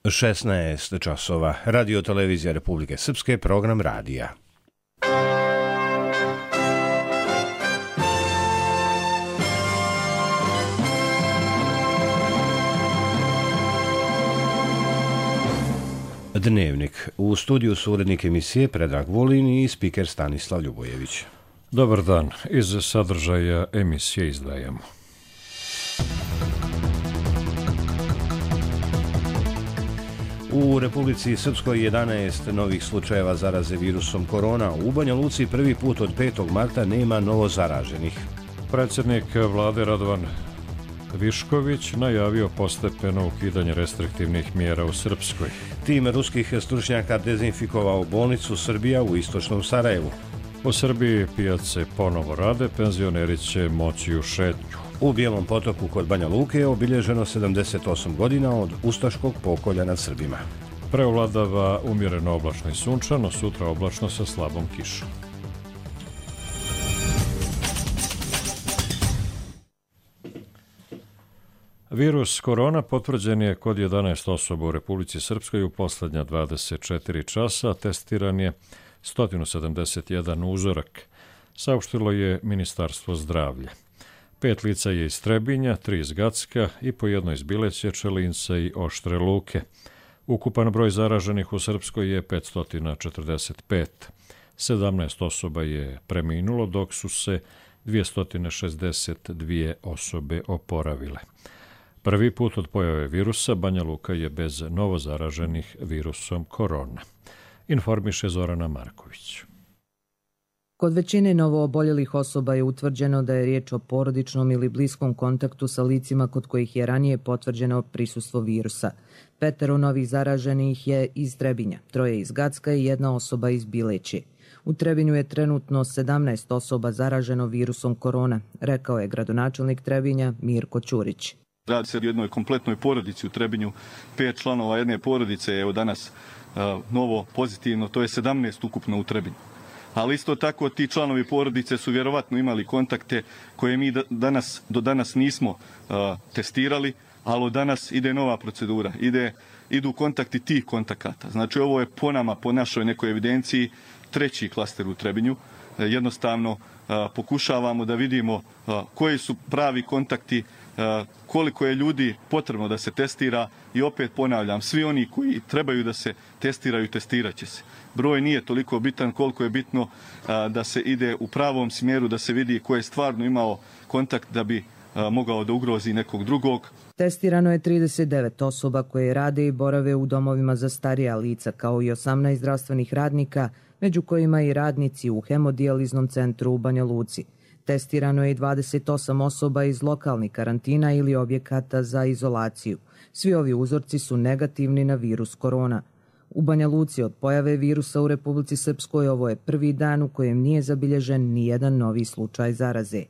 16 časova. Radio televizija Republike Srpske, program radija. Dnevnik. U studiju su urednik emisije Predrag Vulin i spiker Stanislav Ljubojević. Dobar dan. Iz sadržaja emisije izdvajamo. U Republici Srpskoj 11 novih slučajeva zaraze virusom korona. U Banja Luci prvi put od 5. marta nema novo zaraženih. Predsjednik vlade Radovan Višković najavio postepeno ukidanje restriktivnih mjera u Srpskoj. Tim ruskih stručnjaka dezinfikovao bolnicu Srbija u istočnom Sarajevu. U Srbiji pijace ponovo rade, penzioneri će moći u šetnju. U Bijelom Potoku kod Banja Luke je obilježeno 78 godina od ustaškog pokolja nad Srbima. Preovladava umjereno oblačno i sunčano, sutra oblačno sa slabom kišom. Virus korona potvrđen je kod 11 osoba u Republici Srpskoj u posljednja 24 časa, testiran je 171 uzorak, saopštilo je Ministarstvo zdravlja. 5 lica je iz Trebinja, 3 iz Gacka i po jedno iz Bileće, Čelinca i Oštre Luke. Ukupan broj zaraženih u Srpskoj je 545. 17 osoba je preminulo, dok su se 262 osobe oporavile. Prvi put od pojave virusa Banja Luka je bez novozaraženih virusom korona. Informiše Zorana Marković. Kod većine novooboljelih osoba je utvrđeno da je riječ o porodičnom ili bliskom kontaktu sa licima kod kojih je ranije potvrđeno prisustvo virusa. 5 novih zaraženih je iz Trebinja, 3 iz Gacka i 1 osoba iz Bileće. U Trebinju je trenutno 17 osoba zaraženo virusom korona, rekao je gradonačelnik Trebinja Mirko Ćurić. Radi se o jednoj kompletnoj porodici u Trebinju. 5 članova jedne porodice je danas novo pozitivno, to je 17 ukupno u Trebinju. Ali isto tako ti članovi porodice su vjerovatno imali kontakte koje mi do danas nismo testirali, ali od danas ide nova procedura, idu kontakti tih kontakata. Znači ovo je po nama, po našoj nekoj evidenciji, 3. klaster u Trebinju. Jednostavno pokušavamo da vidimo koji su pravi kontakti, koliko je ljudi potrebno da se testira i opet ponavljam, svi oni koji trebaju da se testiraju, testirat će se. Broj nije toliko bitan koliko je bitno da se ide u pravom smjeru, da se vidi ko je stvarno imao kontakt da bi mogao da ugrozi nekog drugog. Testirano je 39 osoba koje rade i borave u domovima za starija lica, kao i 18 zdravstvenih radnika, među kojima i radnici u hemodijaliznom centru u Banja Luci. Testirano je i 28 osoba iz lokalnih karantina ili objekata za izolaciju. Svi ovi uzorci su negativni na virus korona. U Banja Luci od pojave virusa u Republici Srpskoj ovo je prvi dan u kojem nije zabilježen nijedan novi slučaj zaraze.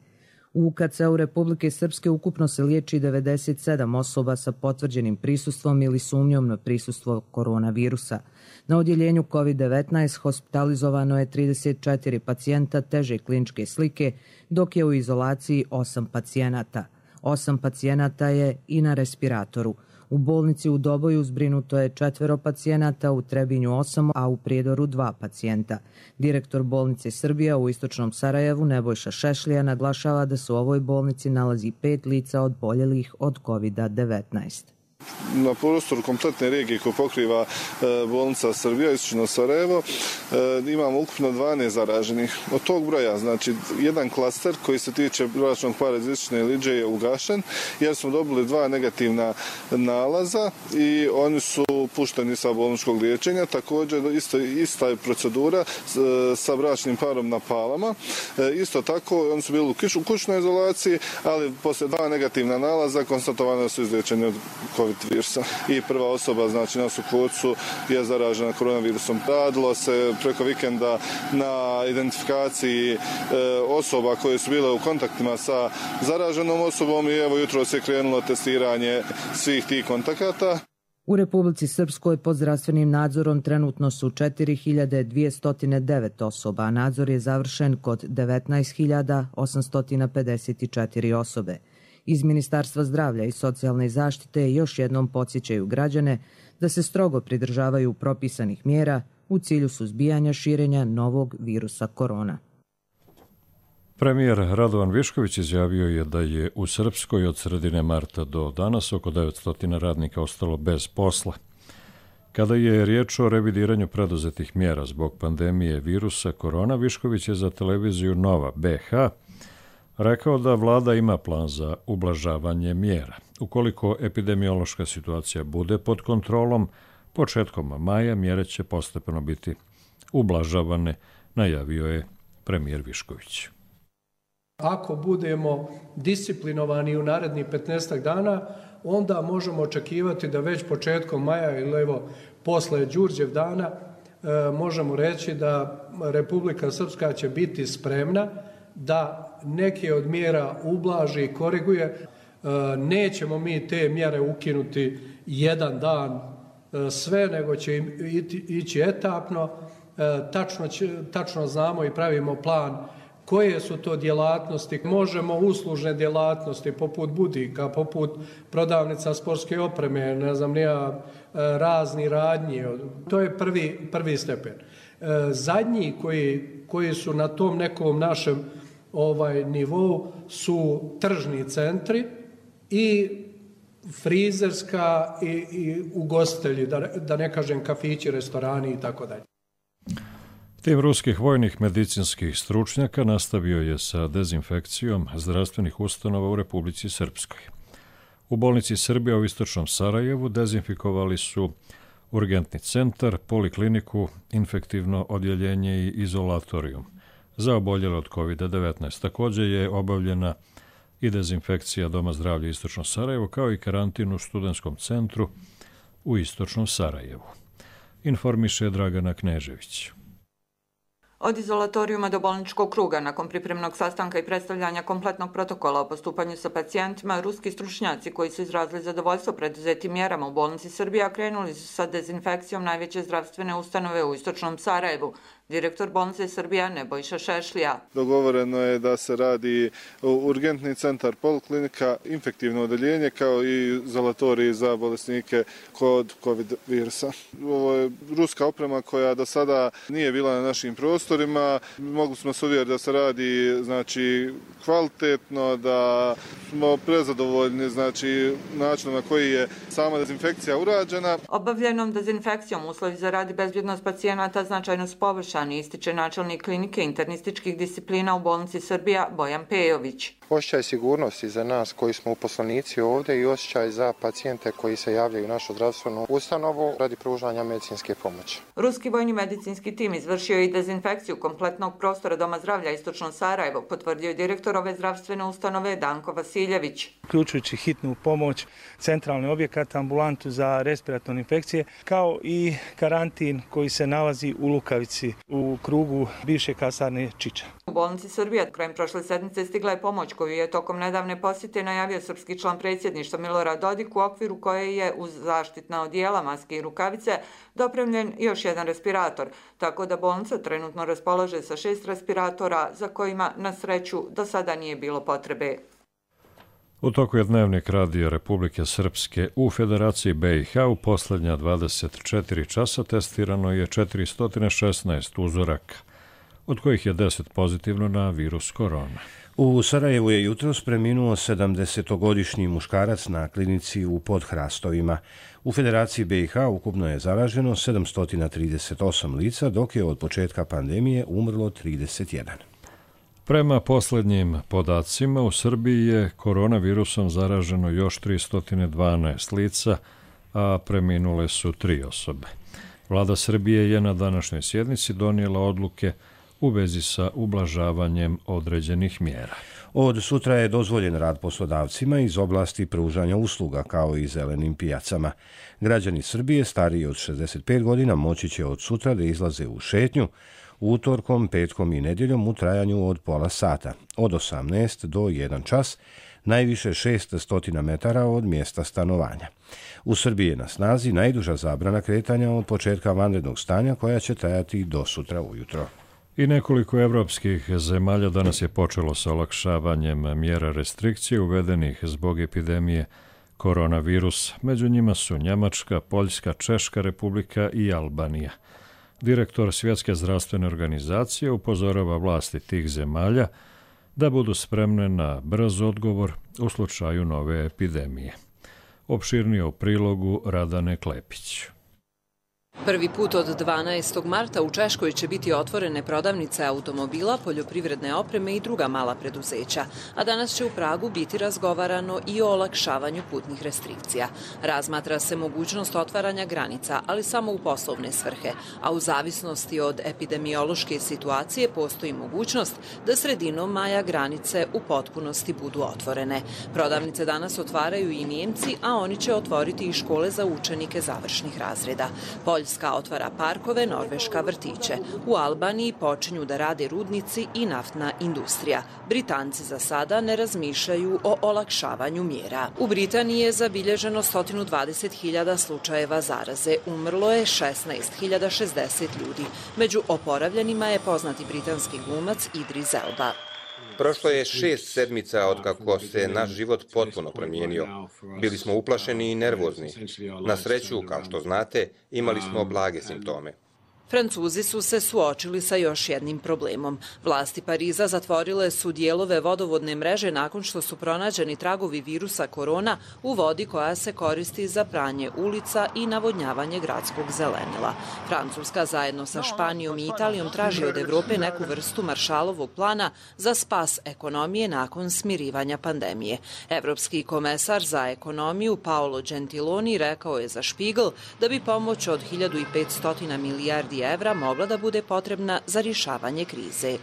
U UKC-u Republike Srpske ukupno se liječi 97 osoba sa potvrđenim prisustvom ili sumnjom na prisustvo koronavirusa. Na odjeljenju COVID-19 hospitalizovano je 34 pacijenta teže kliničke slike, dok je u izolaciji 8 pacijenata. 8 pacijenata je i na respiratoru. U bolnici u Doboju zbrinuto je 4 pacijenata, u Trebinju 8, a u Prijedoru 2 pacijenta. Direktor bolnice Srbija u istočnom Sarajevu Nebojša Šešlija naglašava da se u ovoj bolnici nalazi 5 lica oboljelih od COVID-19. Na prostoru kompletne regije koju pokriva bolnica Srbija, istočno Sarajevo, imamo ukupno 12 zaraženih. Od tog broja, znači, jedan klaster koji se tiče bračnog para iz istočne Iliđe je ugašen, jer smo dobili 2 negativna nalaza i oni su pušteni sa bolničkog liječenja. Također, ista je procedura sa bračnim parom na Palama. Isto tako, oni su bili u kućnoj izolaciji, ali poslije 2 negativna nalaza konstatovano su izliječeni od COVID virusa. I prva osoba, znači na Sukocu, je zaražena koronavirusom. Radilo se preko vikenda na identifikaciji osoba koje su bile u kontaktima sa zaraženom osobom i evo jutros je krenulo testiranje svih tih kontakata. U Republici Srpskoj pod zdravstvenim nadzorom trenutno su 4209 osoba, a nadzor je završen kod 19.854 osobe. Iz Ministarstva zdravlja i socijalne zaštite još jednom podsjećaju građane da se strogo pridržavaju propisanih mjera u cilju suzbijanja širenja novog virusa korona. Premijer Radovan Višković izjavio je da je u Srpskoj od sredine marta do danas oko 900 radnika ostalo bez posla. Kada je riječ o revidiranju preduzetih mjera zbog pandemije virusa korona, Višković je za televiziju Nova BH rekao da vlada ima plan za ublažavanje mjera. Ukoliko epidemiološka situacija bude pod kontrolom, početkom maja mjere će postepeno biti ublažavane, najavio je premijer Višković. Ako budemo disciplinovani u narednih 15 dana, onda možemo očekivati da već početkom maja ili posle Đurđev dana možemo reći da Republika Srpska će biti spremna da neke od mjera ublaži i koriguje. Nećemo mi te mjere ukinuti jedan dan sve, nego će ići etapno. Tačno znamo i pravimo plan koje su to djelatnosti. Možemo uslužne djelatnosti poput budika, poput prodavnica sportske opreme, razni radnji. To je prvi stepen. Zadnji koji su na tom nekom našem nivou su tržni centri i frizerska i ugostitelji, da ne kažem kafići, restorani i tako dalje. Tim ruskih vojnih medicinskih stručnjaka nastavio je sa dezinfekcijom zdravstvenih ustanova u Republici Srpskoj. U bolnici Srbija u istočnom Sarajevu dezinfikovali su urgentni centar, polikliniku, infektivno odjeljenje i izolatorijum za oboljele od COVID-19. Također je obavljena i dezinfekcija Doma zdravlja istočno Sarajevo, kao i karantin u studentskom centru u istočnom Sarajevu. Informiše Dragana Knežević. Od izolatorijuma do bolničkog kruga, nakon pripremnog sastanka i predstavljanja kompletnog protokola o postupanju sa pacijentima, ruski stručnjaci koji su izrazili zadovoljstvo preduzetim mjerama u bolnici Srbija krenuli su sa dezinfekcijom najveće zdravstvene ustanove u istočnom Sarajevu. Direktor bolnice Srbija Nebojša Šešlija. Dogovoreno je da se radi urgentni centar, poliklinika, infektivno odeljenje kao i izolatorij za bolesnike kod COVID virusa. Ovo je ruska oprema koja do sada nije bila na našim prostorima. Mogli smo se uvjeriti da se radi kvalitetno, da smo prezadovoljni načinom na koji je sama dezinfekcija urađena. Obavljenom dezinfekcijom uslovi za rad i bezbjednost pacijenata značajno su poboljšani, ističe načelnik klinike internističkih disciplina u bolnici Srbija Bojan Pejović. Osjećaj sigurnosti za nas koji smo uposlenici ovdje i osjećaj za pacijente koji se javljaju u našu zdravstvenu ustanovu radi pružanja medicinske pomoći. Ruski vojni medicinski tim izvršio i dezinfekciju kompletnog prostora Doma zdravlja istočno Sarajevo, potvrdio je direktor ove zdravstvene ustanove Danko Vasiljević. Uključujući hitnu pomoć, centralni objekat, ambulantu za respiratorne infekcije, kao i karantin koji se nalazi u Lukavici u krugu bivše kasarne Čiča. U bolnici Srbija krajem prošle sedmice stigla je pomoć koju je tokom nedavne posjete najavio srpski član predsjedništva Milorad Dodik, u okviru koje je uz zaštitna odijela, maske i rukavice dopremljen još jedan respirator, tako da bolnica trenutno raspolaže sa 6 respiratora za kojima na sreću do sada nije bilo potrebe. U toku je dnevnik Radija Republike Srpske u Federaciji BiH u posljednja 24 časa testirano je 416 uzoraka, od kojih je 10 pozitivno na virus korona. U Sarajevu je jutros preminuo 70-godišnji muškarac na klinici u Podhrastovima. U Federaciji BiH ukupno je zaraženo 738 lica, dok je od početka pandemije umrlo 31. Prema posljednjim podacima, u Srbiji je koronavirusom zaraženo još 312 lica, a preminule su 3 osobe. Vlada Srbije je na današnjoj sjednici donijela odluke u vezi sa ublažavanjem određenih mjera. Od sutra je dozvoljen rad poslodavcima iz oblasti pružanja usluga, kao i zelenim pijacama. Građani Srbije stariji od 65 godina moći će od sutra da izlaze u šetnju, utorkom, petkom i nedjeljom u trajanju od pola sata, od 18 do 1 čas, najviše 600 metara od mjesta stanovanja. U Srbiji je na snazi najduža zabrana kretanja od početka vanrednog stanja, koja će trajati do sutra ujutro. I nekoliko evropskih zemalja danas je počelo sa olakšavanjem mjera restrikcije uvedenih zbog epidemije koronavirusa. Među njima su Njemačka, Poljska, Češka republika i Albanija. Direktor Svjetske zdravstvene organizacije upozorava vlasti tih zemalja da budu spremne na brz odgovor u slučaju nove epidemije. Opširnije u prilogu Radane Klepić. Prvi put od 12. marta u Češkoj će biti otvorene prodavnice automobila, poljoprivredne opreme i druga mala preduzeća, a danas će u Pragu biti razgovarano i o olakšavanju putnih restrikcija. Razmatra se mogućnost otvaranja granica, ali samo u poslovne svrhe, a u zavisnosti od epidemiološke situacije postoji mogućnost da sredinom maja granice u potpunosti budu otvorene. Prodavnice danas otvaraju i Nijemci, a oni će otvoriti i škole za učenike završnih razreda. Poljska otvara parkove, Norveška vrtiće. U Albaniji počinju da rade rudnici i naftna industrija. Britanci za sada ne razmišljaju o olakšavanju mjera. U Britaniji je zabilježeno 120.000 slučajeva zaraze. Umrlo je 16.060 ljudi. Među oporavljenima je poznati britanski glumac Idris Elba. Prošlo je 6 sedmica od kako se naš život potpuno promijenio. Bili smo uplašeni i nervozni. Na sreću, kao što znate, imali smo blage simptome. Francuzi su se suočili sa još jednim problemom. Vlasti Pariza zatvorile su dijelove vodovodne mreže nakon što su pronađeni tragovi virusa korona u vodi koja se koristi za pranje ulica i navodnjavanje gradskog zelenila. Francuska zajedno sa Španijom i Italijom traži od Evrope neku vrstu Maršalovog plana za spas ekonomije nakon smirivanja pandemije. Evropski komesar za ekonomiju Paolo Gentiloni rekao je za Spiegel da bi pomoć od 1500 milijardi evra mogla da bude potrebna za rješavanje krize.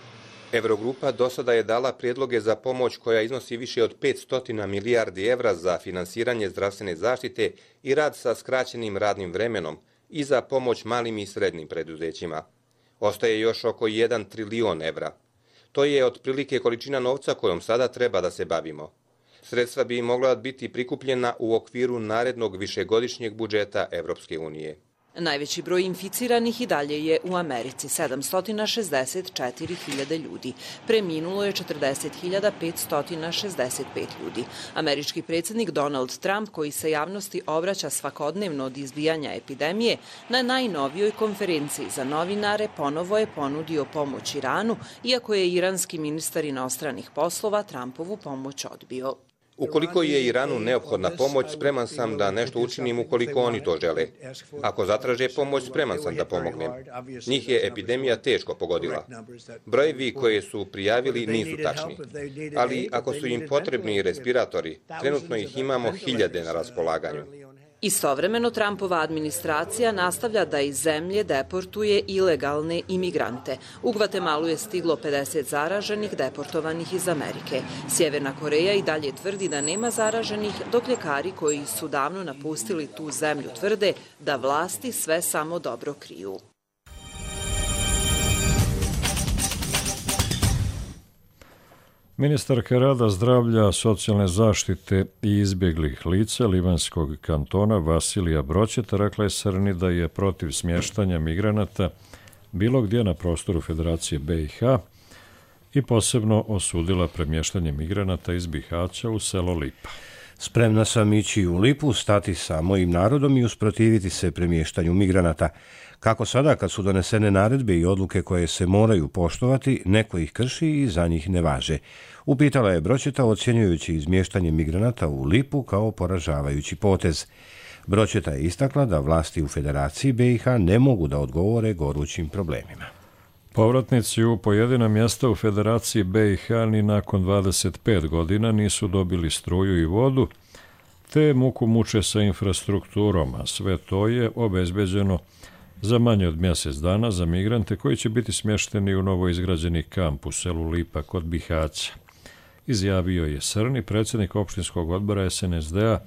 Eurogrupa do sada je dala prijedloge za pomoć koja iznosi više od 500 milijardi evra za finansiranje zdravstvene zaštite i rad sa skraćenim radnim vremenom i za pomoć malim i srednjim preduzećima. Ostaje još oko 1 trilion evra. To je otprilike količina novca kojom sada treba da se bavimo. Sredstva bi mogla biti prikupljena u okviru narednog višegodišnjeg budžeta Evropske unije. Najveći broj inficiranih i dalje je u Americi, 764.000 ljudi. Preminulo je 40.565 ljudi. Američki predsjednik Donald Trump, koji se javnosti obraća svakodnevno od izbijanja epidemije, na najnovijoj konferenciji za novinare ponovo je ponudio pomoć Iranu, iako je iranski ministar inostranih poslova Trumpovu pomoć odbio. Ukoliko je Iranu neophodna pomoć, spreman sam da nešto učinim ukoliko oni to žele. Ako zatraže pomoć, spreman sam da pomognem. Njih je epidemija teško pogodila. Brojevi koje su prijavili nisu tačni. Ali ako su im potrebni respiratori, trenutno ih imamo 1000 na raspolaganju. Istovremeno, Trumpova administracija nastavlja da iz zemlje deportuje ilegalne imigrante. U Gvatemalu je stiglo 50 zaraženih deportovanih iz Amerike. Sjeverna Koreja i dalje tvrdi da nema zaraženih, dok ljekari koji su davno napustili tu zemlju tvrde da vlasti sve samo dobro kriju. Ministarka rada, zdravlja, socijalne zaštite i izbjeglih lica Livanskog kantona Vasilija Broćeta rekla je Srni da je protiv smještanja migranata bilo gdje na prostoru Federacije BiH i posebno osudila premještanje migranata iz Bihaća u selo Lipa. Spremna sam ići u Lipu, stati sa mojim narodom i usprotiviti se premještanju migranata. Kako sada, kad su donesene naredbe i odluke koje se moraju poštovati, neko ih krši i za njih ne važe. Upitala je Broćeta ocjenjujući izmještanje migranata u Lipu kao poražavajući potez. Broćeta je istakla da vlasti u Federaciji BiH ne mogu da odgovore gorućim problemima. Povratnici u pojedina mjesta u Federaciji BiH ni nakon 25 godina nisu dobili struju i vodu, te muku muče sa infrastrukturom, a sve to je obezbeđeno za manje od mjesec dana za migrante koji će biti smješteni u novoizgrađeni kamp u selu Lipa kod Bihaća. Izjavio je Srni, predsjednik opštinskog odbora SNSD-a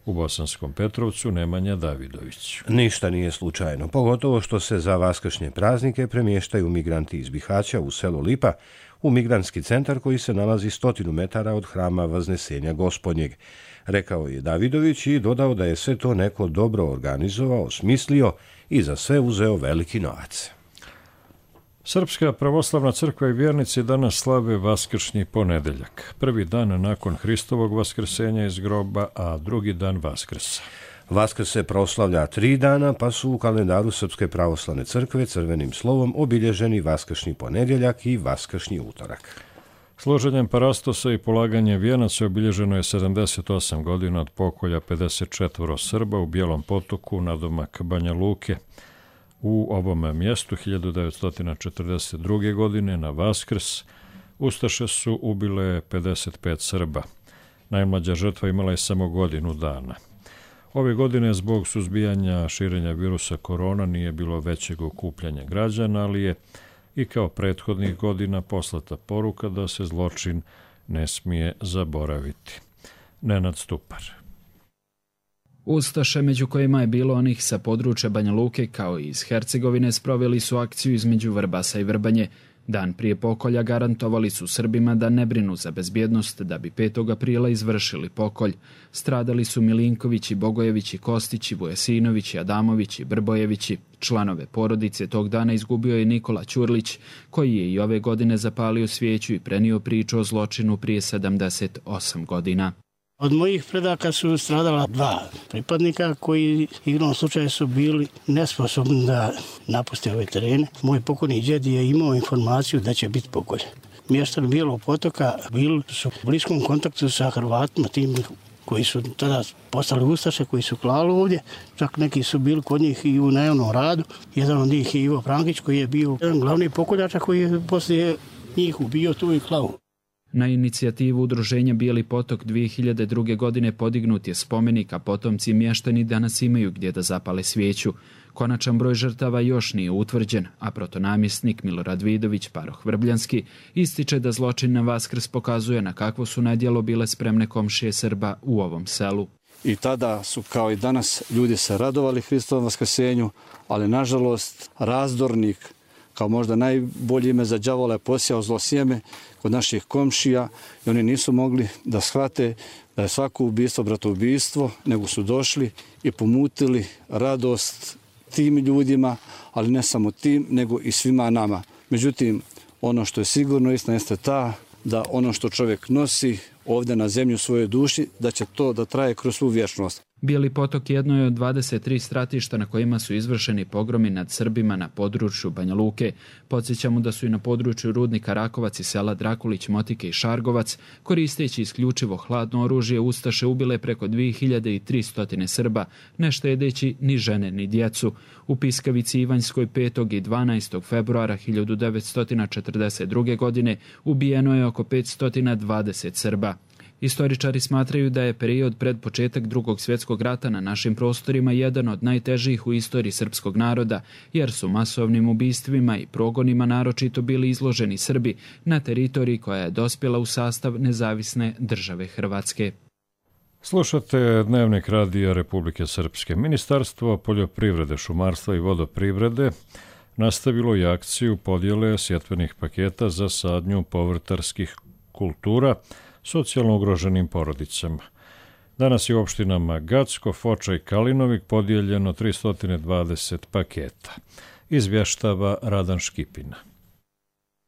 u Bosanskom Petrovcu Nemanja Davidović. Ništa nije slučajno, pogotovo što se za vaskršnje praznike premještaju migranti iz Bihaća u selo Lipa u migrantski centar koji se nalazi 100 metara od hrama Vaznesenja Gospodnjeg. Rekao je Davidović i dodao da je sve to neko dobro organizovao, smislio i za sve uzeo veliki novac. Srpska pravoslavna crkva i vjernici danas slave Vaskršnji ponedeljak. Prvi dan nakon Hristovog vaskrsenja iz groba, a drugi dan Vaskrsa. Vaskrs se proslavlja 3 dana, pa su u kalendaru Srpske pravoslavne crkve crvenim slovom obilježeni Vaskršnji ponedjeljak i Vaskršnji utorak. Složenjem parastosa i polaganjem vijenaca obilježeno je 78 godina od pokolja 54 Srba u Bijelom Potoku nadomak Banja Luke. U ovom mjestu 1942. godine na Vaskrs ustaše su ubile 55 Srba. Najmlađa žrtva imala je samo godinu dana. Ove godine zbog suzbijanja širenja virusa korona nije bilo većeg okupljanja građana, ali je i kao prethodnih godina poslata poruka da se zločin ne smije zaboraviti. Nenad Stupar. Ustaše, među kojima je bilo onih sa područja Banja Luke kao i iz Hercegovine, sproveli su akciju između Vrbasa i Vrbanje. Dan prije pokolja garantovali su Srbima da ne brinu za bezbjednost da bi 5. aprila izvršili pokolj. Stradali su Milinkovići, Bogojevići, Kostići, Vujesinovići, Adamovići, Brbojevići. Članove porodice tog dana izgubio je Nikola Ćurlić, koji je i ove godine zapalio svijeću i prenio priču o zločinu prije 78 godina. Od mojih predaka su stradala 2 pripadnika koji igrom slučaja su bili nesposobni da napuste ove terene. Moj pokojni djed je imao informaciju da će biti pokolj. Mještani Bijelog Potoka bili su u bliskom kontaktu sa Hrvatima, tim koji su tada postali ustaše, koji su klali ovdje. Čak neki su bili kod njih i u najavnom radu. Jedan od njih je Ivo Prankić, koji je bio jedan glavni pokoljača koji je poslije njih ubio tu i klavu. Na inicijativu udruženja Bijeli Potok 2002. godine podignut je spomenik, a potomci mještani danas imaju gdje da zapale svijeću. Konačan broj žrtava još nije utvrđen, a protonamjesnik Milorad Vidović, paroh Vrbljanski, ističe da zločin na Vaskrs pokazuje na kakvo su na djelo bile spremne komšije Srba u ovom selu. I tada su, kao i danas, ljudi se radovali Hristovom vaskrsenju, ali nažalost razdornik, kao možda najbolje ime za đavola, je posijao zlo sjeme kod naših komšija i oni nisu mogli da shvate da je svako ubistvo bratoubistvo, nego su došli i pomutili radost tim ljudima, ali ne samo tim, nego i svima nama. Međutim, ono što je sigurno istina jeste ta da ono što čovjek nosi ovdje na zemlju u svojoj duši, da će to da traje kroz svu vječnost. Bijeli Potok jedno je od 23 stratišta na kojima su izvršeni pogromi nad Srbima na području Banja Luke. Podsjećamo da su i na području rudnika Rakovac i sela Drakulić, Motike i Šargovac, koristeći isključivo hladno oružje, ustaše ubile preko 2300 Srba, ne štedeći ni žene ni djecu. U Piskavici Ivanjskoj 5. i 12. februara 1942. godine ubijeno je oko 520 Srba. Istoričari smatraju da je period pred početak Drugog svjetskog rata na našim prostorima jedan od najtežih u istoriji srpskog naroda, jer su masovnim ubistvima i progonima naročito bili izloženi Srbi na teritoriji koja je dospjela u sastav nezavisne države Hrvatske. Slušate Dnevnik radija Republike Srpske. Ministarstvo poljoprivrede, šumarstva i vodoprivrede nastavilo je akciju podjele sjetvenih paketa za sadnju povrtarskih kultura socijalno ugroženim porodicama. Danas je u opštinama Gacko, Foča i Kalinovik podijeljeno 320 paketa. Izvještava Radan Škipina.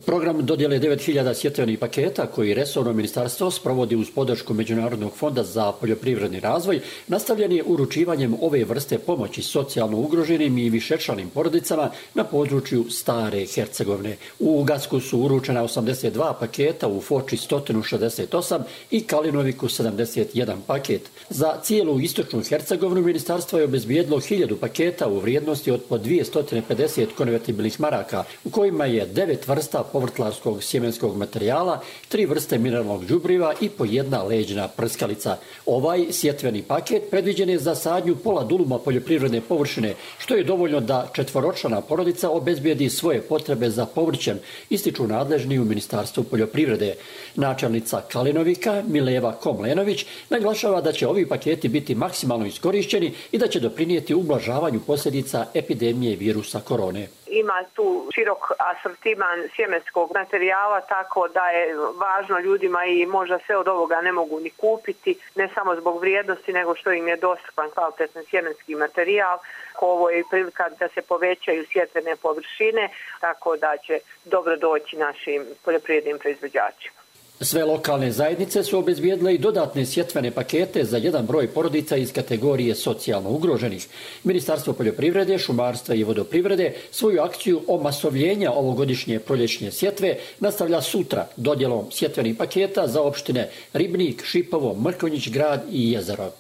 Program dodjele 9000 sjetvenih paketa koji resorno ministarstvo sprovodi uz podršku Međunarodnog fonda za poljoprivredni razvoj nastavljen je uručivanjem ove vrste pomoći socijalno ugroženim i višečlanim porodicama na području Stare Hercegovine. U Gacku su uručena 82 paketa, u Foči 168 i Kalinoviku 71 paket. Za cijelu istočnu Hercegovinu ministarstvo je obezbijedilo 1000 paketa u vrijednosti od po 250 konvertibilnih maraka, u kojima je 9 vrsta povrtlarskog sjemenskog materijala, 3 vrste mineralnog đubriva i po 1 leđna prskalica. Ovaj sjetveni paket predviđen je za sadnju pola duluma poljoprivredne površine, što je dovoljno da 4-člana porodica obezbijedi svoje potrebe za povrćem, ističu nadležni u Ministarstvu poljoprivrede. Načelnica Kalinovika, Mileva Komlenović, naglašava da će ovi paketi biti maksimalno iskorišćeni i da će doprinijeti ublažavanju posljedica epidemije virusa korone. ima tu širok asortiman sjemenskog materijala, tako da je važno ljudima i možda sve od ovoga ne mogu ni kupiti, ne samo zbog vrijednosti, nego što im je dostupan kvalitetan sjemenski materijal. Ovo je prilika da se povećaju sjetvene površine, tako da će dobro doći našim poljoprivrednim proizvođačima. Sve lokalne zajednice su obezbijedile i dodatne sjetvene pakete za jedan broj porodica iz kategorije socijalno ugroženih. Ministarstvo poljoprivrede, šumarstva i vodoprivrede svoju akciju omasovljenja ovogodišnje proljećne sjetve nastavlja sutra dodjelom sjetvenih paketa za opštine Ribnik, Šipovo, Mrkonjić grad i Jezero.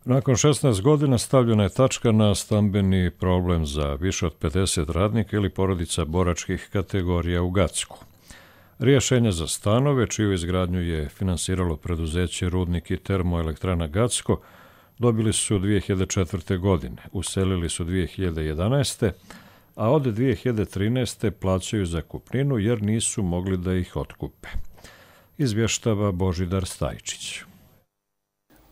Nakon 16 godina stavljena je tačka na stambeni problem za više od 50 radnika ili porodica boračkih kategorija u Gacku. Rješenje za stanove, čiju izgradnju je finansiralo preduzeće Rudnik i termoelektrana Gacko, dobili su 2004. godine, uselili su 2011. a od 2013. plaćaju zakupninu jer nisu mogli da ih otkupe. Izvještava Božidar Stajčić.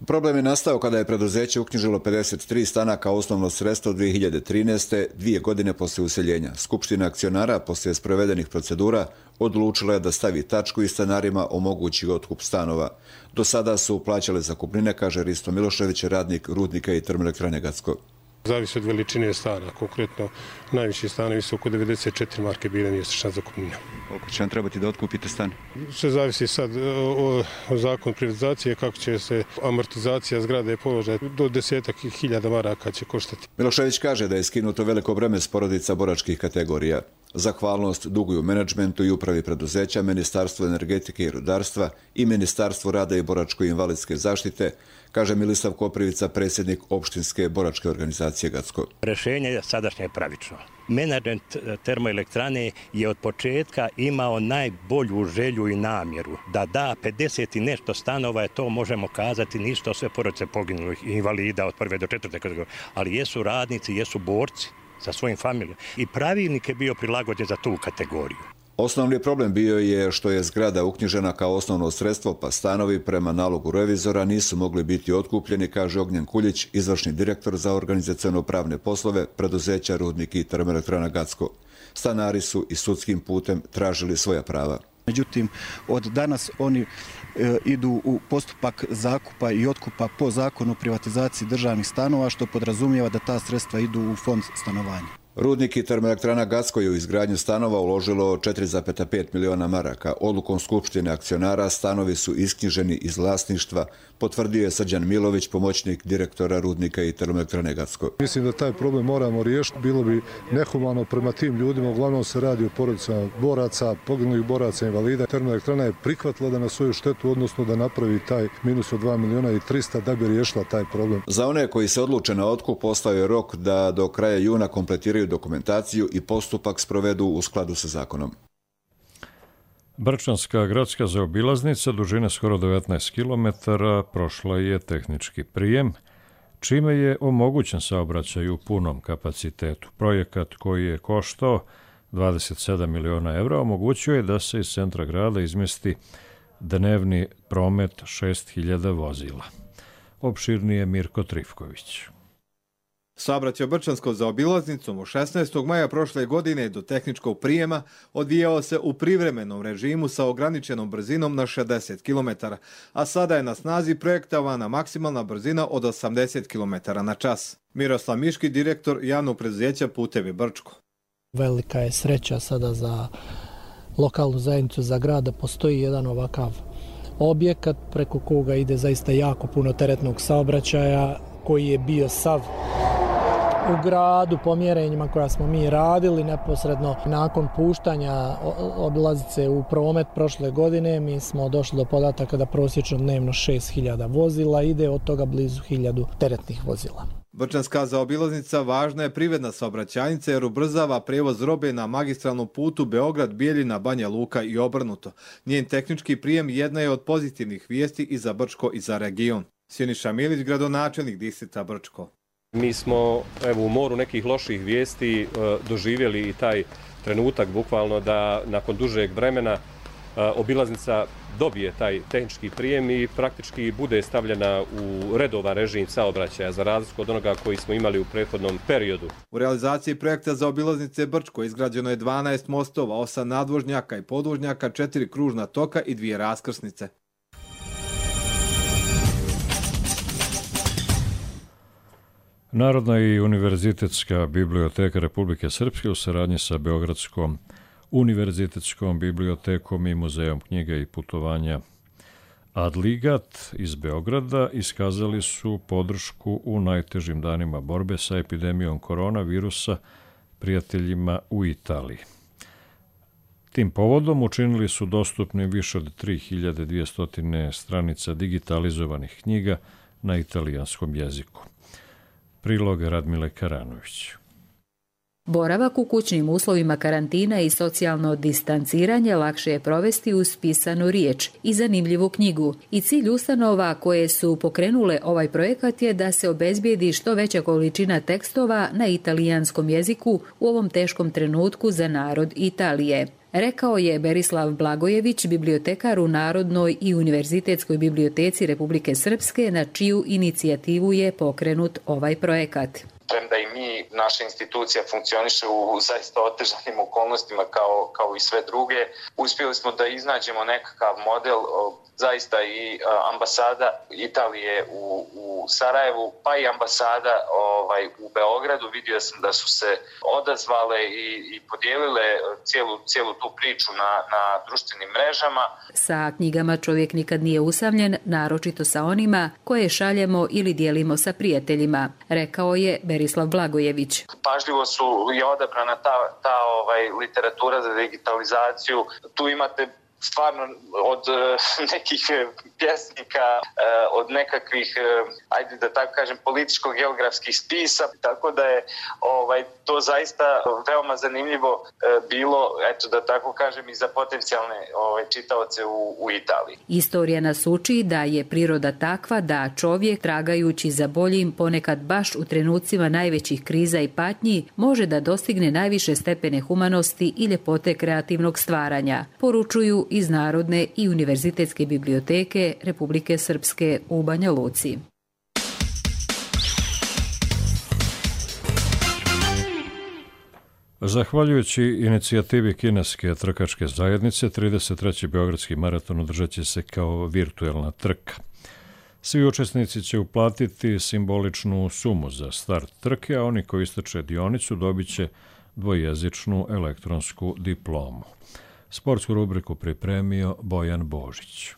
Problem je nastao kada je preduzeće uknjižilo 53 stana kao osnovno sredstvo 2013. 2 godine poslije useljenja. Skupština akcionara, poslije sprovedenih procedura, odlučila je da stavi tačku i stanarima omogući otkup stanova. Do sada su plaćale zakupnine, kaže Risto Milošević, radnik Rudnika i termoelektrane Gacko. Zavisi od veličine stana. Konkretno, najviši stanovi su oko 94 marke bile mjesečna zakupnina. Koliko će vam trebati da otkupite stan? Sve zavisi sad o zakonu privatizacije, kako će se amortizacija zgrade položati. Do 10.000 maraka će koštati. Milošević kaže da je skinuto veliko breme s porodica boračkih kategorija. Zahvalnost duguju menadžmentu i upravi preduzeća, Ministarstvu energetike i rudarstva i Ministarstvu rada i boračko-invalidske zaštite, kaže Milisav Koprivica, predsjednik opštinske boračke organizacije Gacko. Rešenje je sadašnje pravično. Menadžment termoelektrane je od početka imao najbolju želju i namjeru da da 50 i nešto stanova, to možemo kazati, nisu to sve porodice poginulih invalida od 1. do 4. kategorije, ali jesu radnici, jesu borci sa svojim familijom i pravilnik je bio prilagođen za tu kategoriju. Osnovni problem bio je što je zgrada uknjižena kao osnovno sredstvo, pa stanovi prema nalogu revizora nisu mogli biti otkupljeni, kaže Ognjen Kuljić, izvršni direktor za organizaciono-pravne poslove preduzeća Rudnik i termoelektrana Gacko. Stanari su i sudskim putem tražili svoja prava. Međutim, od danas oni idu u postupak zakupa i otkupa po zakonu o privatizaciji državnih stanova, što podrazumijeva da ta sredstva idu u fond stanovanja. Rudnik i termoelektrana Gacko je u izgradnju stanova uložilo 4,5 miliona maraka. Odlukom Skupštine akcionara stanovi su isknjiženi iz vlasništva, potvrdio je Srđan Milović, pomoćnik direktora Rudnika i termoelektrane Gacko. Mislim da taj problem moramo riješiti. Bilo bi nehumano prema tim ljudima. Uglavnom se radi o porodicama boraca, poginulih boraca, invalida. Termoelektrana je prihvatila da na svoju štetu, odnosno da napravi taj minus od 2 miliona i 300 da bi riješila taj problem. Za one koji se odluče na otkup ostao je rok da do kraja juna kompletiraju dokumentaciju i postupak sprovedu u skladu sa zakonom. Brčanska gradska zaobilaznica dužine skoro 19 km prošla je tehnički prijem, čime je omogućen saobraćaj u punom kapacitetu. Projekat koji je koštao 27 miliona evra omogućuje da se iz centra grada izmesti dnevni promet 6.000 vozila. Opširnije Mirko Trifković. Saobraćaj Brčanskom zaobilaznicom od 16. maja prošle godine do tehničkog prijema odvijao se u privremenom režimu sa ograničenom brzinom na 60 km, a sada je na snazi projektovana maksimalna brzina od 80 km na čas. Miroslav Miški, direktor javnog preduzeća Putevi Brčko. Velika je sreća sada za lokalnu zajednicu, za grad, da postoji jedan ovakav objekat preko koga ide zaista jako puno teretnog saobraćaja koji je bio sav u gradu po mjerenjima koja smo mi radili neposredno nakon puštanja obilaznice u promet prošle godine. Mi smo došli do podataka da prosječno dnevno 6.000 vozila ide, od toga blizu 1.000 teretnih vozila. Brčanska zaobilaznica važna je privredna saobraćajnica jer ubrzava prevoz robe na magistralnom putu Beograd-Bijeljina, Banja Luka i obrnuto. Njen tehnički prijem jedna je od pozitivnih vijesti i za Brčko i za region. Siniša Milić, gradonačelnik distrikta Brčko. Mi smo u moru nekih loših vijesti doživjeli i taj trenutak bukvalno da nakon dužeg vremena obilaznica dobije taj tehnički prijem i praktički bude stavljena u redovan režim saobraćaja za razliku od onoga koji smo imali u prethodnom periodu. U realizaciji projekta za obilaznice Brčko izgrađeno je 12 mostova, 8 nadvožnjaka i podvožnjaka, 4 kružna toka i 2 raskrsnice. Narodna i univerzitetska biblioteka Republike Srpske u saradnji sa Beogradskom univerzitetskom bibliotekom i muzejom knjiga i putovanja Adligat iz Beograda iskazali su podršku u najtežim danima borbe sa epidemijom koronavirusa prijateljima u Italiji. Tim povodom učinili su dostupni više od 3200 stranica digitalizovanih knjiga na italijanskom jeziku. Prilog Radmile Karanović. Boravak u kućnim uslovima karantina i socijalno distanciranje lakše je provesti uz pisanu riječ i zanimljivu knjigu. I cilj ustanova koje su pokrenule ovaj projekat je da se obezbijedi što veća količina tekstova na italijanskom jeziku u ovom teškom trenutku za narod Italije. Rekao je Berislav Blagojević, bibliotekar u Narodnoj i univerzitetskoj biblioteci Republike Srpske, na čiju inicijativu je pokrenut ovaj projekat. Premda i mi, naša institucija funkcioniše u zaista otežanim okolnostima kao i sve druge, uspjeli smo da iznađemo nekakav model, zaista i ambasada Italije u Sarajevu, pa i ambasada u Beogradu. Vidio sam da su se odazvale i podijelile cijelu tu priču na društvenim mrežama. Sa knjigama čovjek nikad nije usamljen, naročito sa onima koje šaljemo ili dijelimo sa prijateljima, rekao je Berislav Blagojević. Pažljivo je odabrana ta literatura za digitalizaciju. Tu imate stvarno od nekih pjesnika, od nekakvih, ajde da tako kažem, političko-geografskih spisa, tako da je to zaista veoma zanimljivo bilo, eto da tako kažem, i za potencijalne čitaoce u Italiji. Istorija nas uči da je priroda takva da čovjek, tragajući za boljim, ponekad baš u trenucima najvećih kriza i patnji, može da dostigne najviše stepene humanosti i ljepote kreativnog stvaranja, poručuju iz Narodne i univerzitetske biblioteke Republike Srpske u Banja Luci. Zahvaljujući inicijativi kineske trkačke zajednice, 33. Beogradski maraton održat će se kao virtuelna trka. Svi učesnici će uplatiti simboličnu sumu za start trke, a oni koji istrče dionicu dobit će dvojezičnu elektronsku diplomu. Sportsku rubriku pripremio Bojan Božić.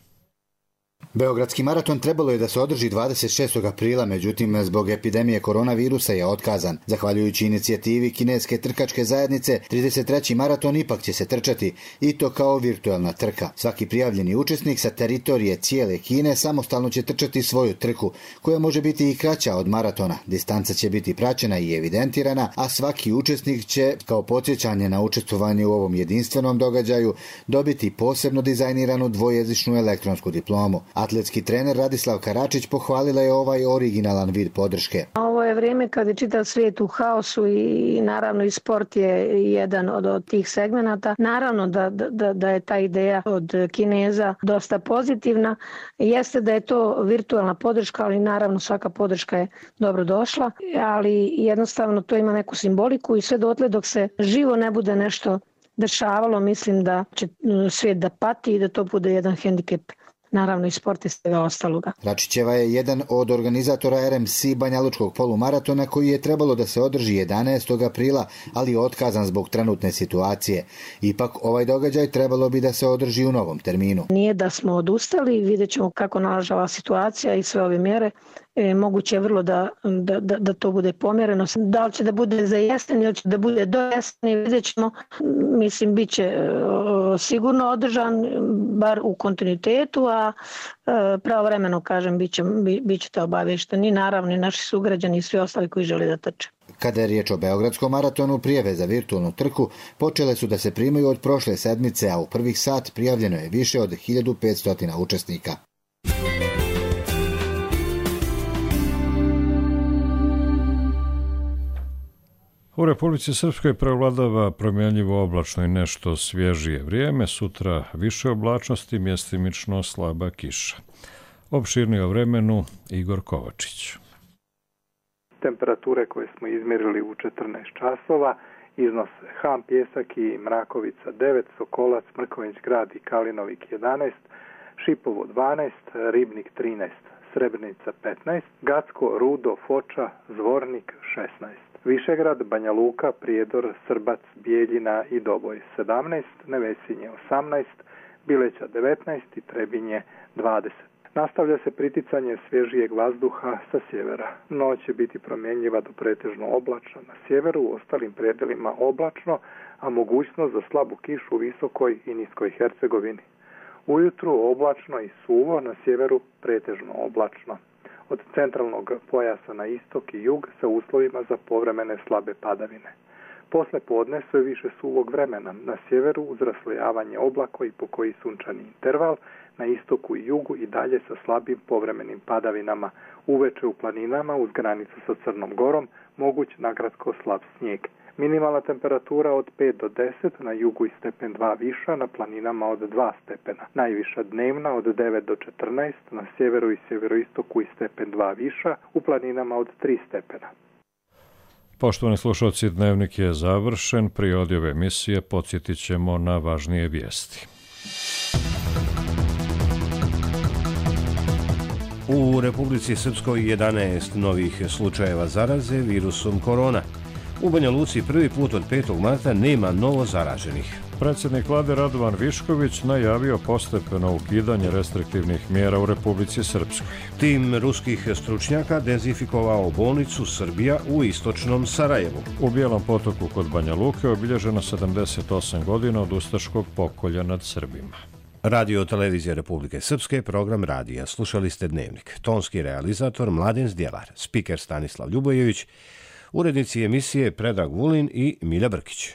Beogradski maraton trebalo je da se održi 26. aprila, međutim zbog epidemije koronavirusa je otkazan. Zahvaljujući inicijativi kineske trkačke zajednice, 33. maraton ipak će se trčati i to kao virtualna trka. Svaki prijavljeni učesnik sa teritorije cijele Kine samostalno će trčati svoju trku, koja može biti i kraća od maratona. Distanca će biti praćena i evidentirana, a svaki učesnik će, kao podsjećanje na učestvovanje u ovom jedinstvenom događaju, dobiti posebno dizajniranu dvojezičnu elektronsku diplomu. Atletski trener Radislav Karačić pohvalila je ovaj originalan vid podrške. Ovo je vrijeme kad je čitav svijet u haosu i naravno i sport je jedan od tih segmenata. Naravno da je ta ideja od Kineza dosta pozitivna. Jeste da je to virtualna podrška, ali naravno svaka podrška je dobro došla, ali jednostavno to ima neku simboliku i sve dotle dok se živo ne bude nešto dešavalo, mislim da će svijet da pati i da to bude jedan hendikep, naravno i sport i svega ostaloga. Račićeva je jedan od organizatora RMC Banjalučkog polumaratona koji je trebalo da se održi 11. aprila, ali je otkazan zbog trenutne situacije. Ipak ovaj događaj trebalo bi da se održi u novom terminu. Nije da smo odustali, vidjet ćemo kako nalažava situacija i sve ove mjere. Moguće je vrlo da to bude pomjereno. Da li će da bude za jesen ili će da bude do jeseni, vidjet ćemo. Mislim, bit će sigurno održan, bar u kontinuitetu, a pravovremeno, kažem, bit ćete obavješteni, naravno i naši sugrađani i svi ostali koji žele da trče. Kada je riječ o Beogradskom maratonu, prijave za virtualnu trku počele su da se primaju od prošle sedmice, a u prvih sat prijavljeno je više od 1500 učesnika. U Republici Srpskoj prevladava promjenljivo oblačno i nešto svježije vrijeme, sutra više oblačnosti, mjestimično slaba kiša. Opširnije o vremenu Igor Kovačić. Temperature koje smo izmjerili u 14 časova iznose Ham, Pjesak i Mrakovica 9, Sokolac, Mrkonjić Grad i Kalinovik 11, Šipovo 12, Ribnik 13, Srebrenica 15, Gacko, Rudo, Foča, Zvornik 16. Višegrad, Banja Luka, Prijedor, Srbac, Bijeljina i Doboj 17, Nevesinje 18, Bileća 19 i Trebinje 20. Nastavlja se priticanje svježijeg vazduha sa sjevera. Noć će biti promjenjiva do pretežno oblačna na sjeveru, u ostalim predelima oblačno, a mogućnost za slabu kišu u Visokoj i Niskoj Hercegovini. Ujutru oblačno i suvo, na sjeveru pretežno oblačno. Od centralnog pojasa na istok i jug sa uslovima za povremene slabe padavine. Posle podne sve više suvog vremena, na sjeveru uz raslojavanje oblaka i pokoji sunčani interval, na istoku i jugu i dalje sa slabim povremenim padavinama, uveče u planinama uz granicu sa Crnom Gorom, moguć nagradsko slab snijeg. Minimalna temperatura od 5 do 10, na jugu i stepen 2 viša, na planinama od 2 stepena. Najviša dnevna od 9 do 14, na sjeveru i sjeveroistoku i stepen 2 viša, u planinama od 3 stepena. Poštovani slušalci, dnevnik je završen. Prije odjave emisije podsjetit ćemo na važnije vijesti. U Republici Srpskoj 11 novih slučajeva zaraze virusom korona. U Banja Luci prvi put od 5. marta nema novo zaraženih. Predsjednik vlade Radovan Višković najavio postepeno ukidanje restriktivnih mjera u Republici Srpskoj. Tim ruskih stručnjaka dezinfikovao bolnicu Srbija u istočnom Sarajevu. U Bijelom Potoku kod Banja Luke obilježeno 78 godina od ustaškog pokolja nad Srbima. Radio Televizija Republike Srpske, program radija. Slušali ste dnevnik. Tonski realizator Mladen Zdjelar, spiker Stanislav Ljubojević, urednici emisije Predrag Vulin i Milja Brkić.